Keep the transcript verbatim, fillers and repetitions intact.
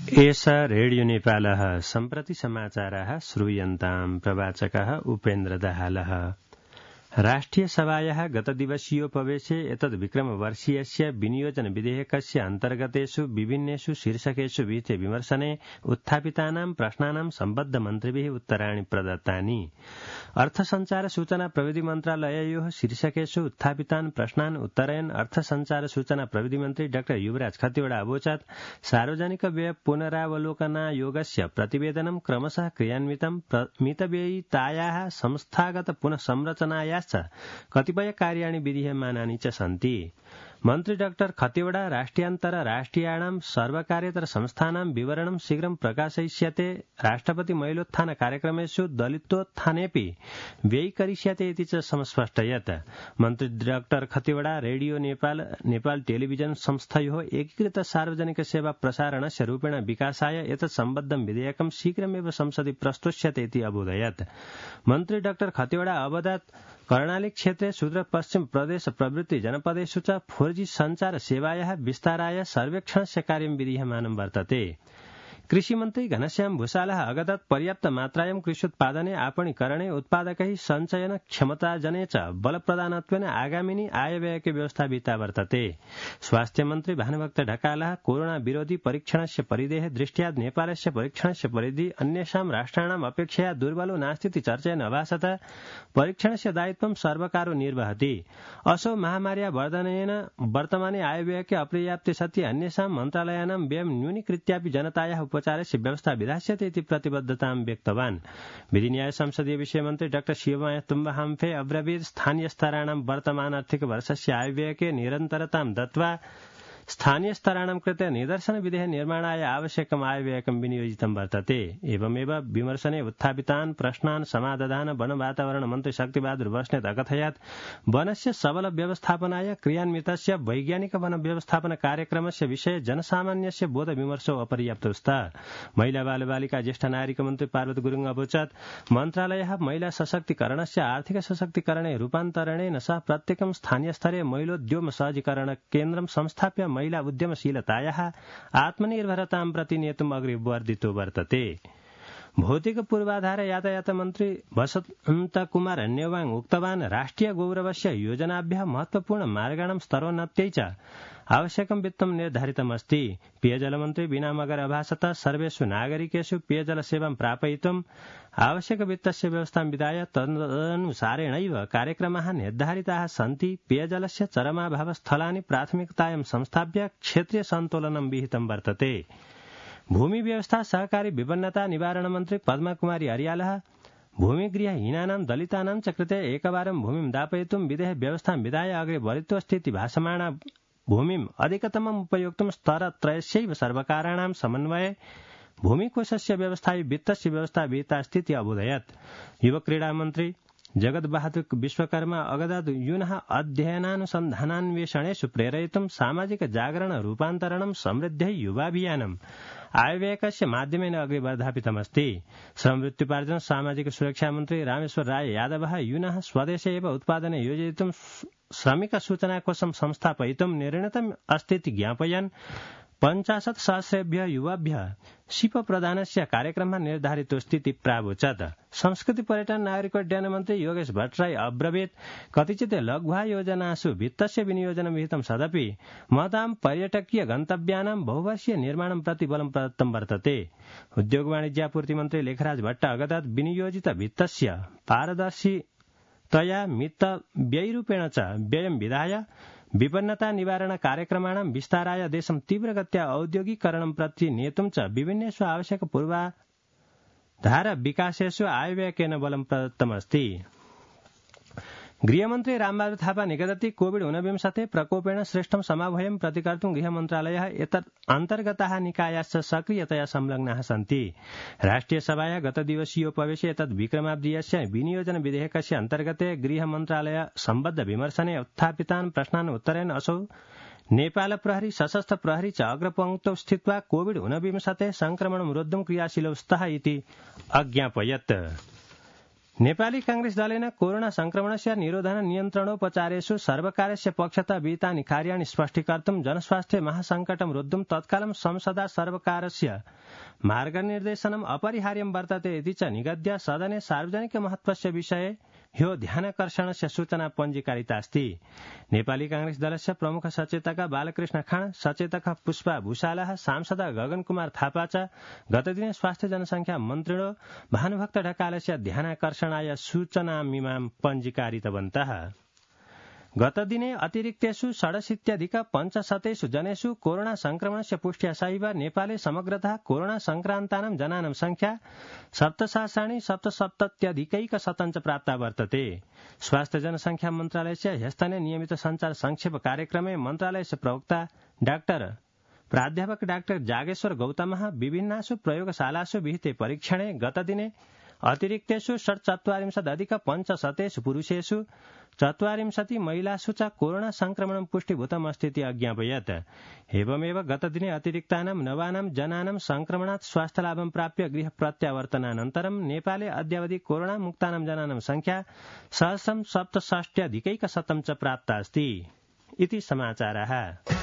एषा रेडियो नेपालः सम्प्रति समाचाराः श्रूयन्ताम् प्रवाचकः उपेन्द्र दाहालः। राष्ट्रिय सभायाः गतदिवसीयोपवेशे एतद् विक्रमवर्षीयस्य विनियोजन विधेयकस्य अन्तर्गतेषु विभिन्नेषु शीर्षकेषु विहिते विमर्शने उत्थापितानां प्रश्नानां सम्बद्ध मन्त्रिभिः उत्तराणि प्रदत्तानि। अर्थ संचार सूचना प्रविधि मन्त्रालययोः शीर्षकेषु उत्थापितान् प्रश्नान् उत्तरयन् अर्थ संचार सूचना प्रविधि मन्त्री डाक्टर युवराज खतिवड़ा अवोचत् सार्वजनिक व्यय पुनरावलोकनायोगस्य प्रतिवेदनं क्रमशः क्रियान्वितं मितव्ययितायाः संस्थागत पुनः संरचनाया कतिपय कार्याणि विधीयमानानि च सन्ति। मन्त्री डाक्टर खतिवड़ा राष्ट्रियान्तर राष्ट्रियाणां सर्वकार्यतर संस्थानां विवरणं शीघ्रं प्रकाशयिष्यते। राष्ट्रपति महिलोत्थान कार्यक्रमेषु दलितोत्थानेऽपि व्ययीकरिष्यते इति च समस्पष्टयत्। मन्त्री doctor Khatiwada radio Nepal Nepal television संस्थयोः एकीकृत सार्वजनिक सेवा प्रसारणस्य रूपेण विकासाय एतत् सम्बद्धं विधेयकं शीघ्रमेव संसदि प्रस्तुष्यते इति अबोधयत्। मन्त्री डाक्टर खतिवड़ा अवदत् कर्णाली क्षेत्रे सुदूर पश्चिम प्रदेश प्रभृति जनपदेषु च फोर जी संचार सेवायाः विस्ताराय सर्वेक्षणस्य कार्यं विधीयमानं वर्तते। कृषिमन्त्री घनश्याम भूषालः अगदत् पर्याप्त मात्रायां कृष्योत्पादने आपणीकरणे उत्पादकैः सञ्चयन क्षमताजने च बलप्रदानत्वेन आगामिनी आयव्ययके व्यवस्था विहिता वर्तते। स्वास्थ्य मन्त्री भानुभक्त ढकालः कोरोना विरोधी परीक्षणस्य परिधेः दृष्ट्या नेपालस्य परीक्षणस्य परिधि अन्येषां राष्ट्राणाम् अपेक्षया दुर्बलो नास्तीति चर्चयन् अभासत परीक्षणस्य दायित्वं सर्वकारो निर्वहति। असौ महामार्या वर्धनेन वर्तमाने आयव्ययके अपर्याप्ते सति अन्येषां मन्त्रालयानां व्ययं न्यूनीकृत्यापि जनतायाः उपचारस्य व्यवस्था विधास्यते इति प्रतिबद्धतां व्यक्तवान्। विधि न्याय संसदीय विषय मन्त्री डाक्टर शिवमाया तुम्बाहाम्फे अब्रवीत् स्थानीय स्तराणां वर्तमान आर्थिक वर्षस्य आयव्ययके निरन्तरतां दत्त्वा स्थानीय स्तराणां कृते निदर्शन विधेः निर्माणाय आवश्यकम् आयव्ययकं विनियोजितं वर्तते। एवमेव विमर्शने उत्थापितान् प्रश्नान् समाधान वन वातावरण मन्त्री शक्तिबहादुर बस्नेत अकथयत् वनस्य सबल व्यवस्थापनाय क्रियान्वितस्य वैज्ञानिक वन व्यवस्थापन कार्यक्रमस्य विषये जनसामान्यस्य बोध विमर्शो अपर्याप्तो स्तः। महिला बालबालिका ज्येष्ठ नागरिक मन्त्री पार्वती गुरुङ अवोचत् मन्त्रालयः महिला सशक्तिकरणस्य आर्थिक सशक्तिकरणे रूपान्तरणेन सह प्रत्येकं स्थानीय स्तरे महिलोद्यम सहजीकरण केन्द्रं संस्थाप्य महिला उद्यमशीलतायाः आत्मनिर्भरतां प्रति नेतुम् अग्रे वर्धितो वर्तते। भौतिक पूर्वाधार यातायात मन्त्री वसन्त कुमार नेवाङ उक्तवान् राष्ट्रिय गौरवस्य योजनाभ्यः महत्वपूर्ण मार्गाणां स्तरोन्नत्यै च आवश्यकं वित्तं निर्धारितमस्ति। पेयजलमन्त्री बीना मगर अभासत सर्वेषु नागरिकेषु पेयजलसेवां प्रापयितुम् आवश्यक वित्तस्य व्यवस्थां विधाय तदनुसारेणैव कार्यक्रमाः निर्धारिताः सन्ति। पेयजलस्य चरमाभावस्थलानि प्राथमिकतायां संस्थाप्य क्षेत्रीय सन्तुलनं विहितं वर्तते। भूमि व्यवस्था सहकारी विपन्नता निवारण मन्त्री पद्मा कुमारी अर्यालः भूमिगृहहीनानां दलितानां च कृते एकवारं भूमिं दापयितुं विधेः व्यवस्थां विधाय अग्रे वरित्वस्थिति भासमाना भूमिम् अधिकतमम् उपयोक्तुं स्तरत्रयस्यैव सर्वकाराणां समन्वये भूमिकोषस्य व्यवस्थायै वित्तस्य व्यवस्था विहिता अस्ति इति अबोधयत्। युव क्रीडा मन्त्री जगत बहादुर विश्वकर्मा अगदत् यूनः अध्ययनानुसन्धानान्वेषणेषु प्रेरयितुं सामाजिक जागरण रूपान्तरणं समृद्धै युवाभियानम् आयव्ययकस्य माध्यमेन अग्रे वर्धापितमस्ति। श्रमवृत्त्युपार्जन सामाजिक सुरक्षा मन्त्री रामेश्वर राय यादवः यूनः स्वदेशे एव उत्पादने योजयितुं श्रमिक सूचनाकोशं संस्थापयितुं निर्णीतम् अस्ति इति ज्ञापयन् पञ्चाशत् सहस्रेभ्यः युवाभ्यः शिप प्रदानस्य कार्यक्रमः निर्धारितोऽस्ति इति प्रावोचत्। संस्कृति पर्यटन नागरिकोड्डयन मन्त्री योगेश भट्टराई अब्रवीत् कतिचित् लघ्वा योजनासु वित्तस्य विनियोजनं विहितं सदपि महतां पर्यटकीय गन्तव्यानां बहुवर्षीय निर्माणं प्रति बलं प्रदत्तं वर्तते। उद्योग वाणिज्यापूर्ति मन्त्री लेखराज भट्ट अगदत् विनियोजित वित्तस्य पारदर्शितया मित व्ययरूपेण च व्ययं विधाय विपन्नता निवारण कार्यक्रमाणां विस्ताराय देशं तीव्रगत्या औद्योगिकरणं प्रति नेतुं च विभिन्नेषु आवश्यक पूर्वाधार विकासेषु आयव्ययकेन बलं प्रदत्तमस्ति। गृहमन्त्री रामबहादुर थापा निगदति कोविड ऊनविंशते प्रकोपेण श्रेष्ठं समाभयं प्रतिकर्तुं गृहमन्त्रालयः एतत् अन्तर्गताः निकायाश्च सक्रियतया संलग्नाः सन्ति। राष्ट्रिय सभाया गतदिवसीयोपवेशे एतत् विक्रमाब्दीयस्य विनियोजन विधेयकस्य अन्तर्गते गृहमन्त्रालय सम्बद्ध विमर्शने उत्थापितान् प्रश्नान् उत्तरेण असौ नेपाल प्रहरी सशस्त्र प्रहरी च अग्रपङ्क्तौ स्थित्वा कोविड ऊनविंशते संक्रमणं रोद्धुं क्रियाशीलौ स्तः इति अज्ञापयत्। नेपाली कांग्रेस दलेन कोरोना संक्रमणस्य निरोधन नियन्त्रणोपचारेषु सर्वकारस्य पक्षतः विहितानि कार्याणि स्पष्टीकर्तुं जनस्वास्थ्य महासङ्कटं रोद्धुं तत्कालं संसदा सर्वकारस्य मार्गनिर्देशनम् अपरिहार्यं वर्तते इति च निगद्य सदने सार्वजनिक महत्वस्य विषये ह्यो ध्यानकर्षणस्य सूचना पञ्जीकारितास्ति। नेपाली कांग्रेस दलस्य प्रमुख सचेतक बालकृष्ण खाँड, सचेतक पुष्पा भूषालः, सांसद गगन कुमार थापा च गतदिने स्वास्थ्य जनसंख्या मन्त्रिणो भानुभक्त ढकालस्य ध्यानाकर्षणाय सूचनामिमां पञ्जीकारितवन्तः। गतदिने अतिरिक्तेषु षडशीत्यधिक पञ्चशतेषु जनेषु कोरोना संक्रमणस्य पुष्ट्या सहित नेपाले समग्रतः कोरोना संक्रान्तानां जनानां संख्या सप्तसहस्राणि सप्तसप्तत्यधिकैकशतं च प्राप्ता वर्तते। स्वास्थ्य जनसंख्या मन्त्रालयस्य ह्यस्तने नियमित संचार संक्षेप कार्यक्रमे मन्त्रालयस्य प्रवक्ता डाक्टर प्राध्यापक डाक्टर जागेश्वर गौतमः विभिन्नासु प्रयोगशालासु विहिते परीक्षणे गतदिने अतिरिक्तेषु षट्चत्वारिंशदधिक पञ्चशतेषु पुरुषेषु चत्वारिंशति महिलासु च कोरोना संक्रमणं पुष्टिभूतमस्तीति अज्ञापयत्। एवमेव गतदिने अतिरिक्तानां नवानां जनानां संक्रमणात् स्वास्थ्यलाभं प्राप्य गृह प्रत्यावर्तनानन्तरं नेपाले अद्यावधि कोरोना मुक्तानां जनानां संख्या सहस्रं सप्तषष्ट्यधिकैकशतं च प्राप्ता अस्ति इति समाचारः।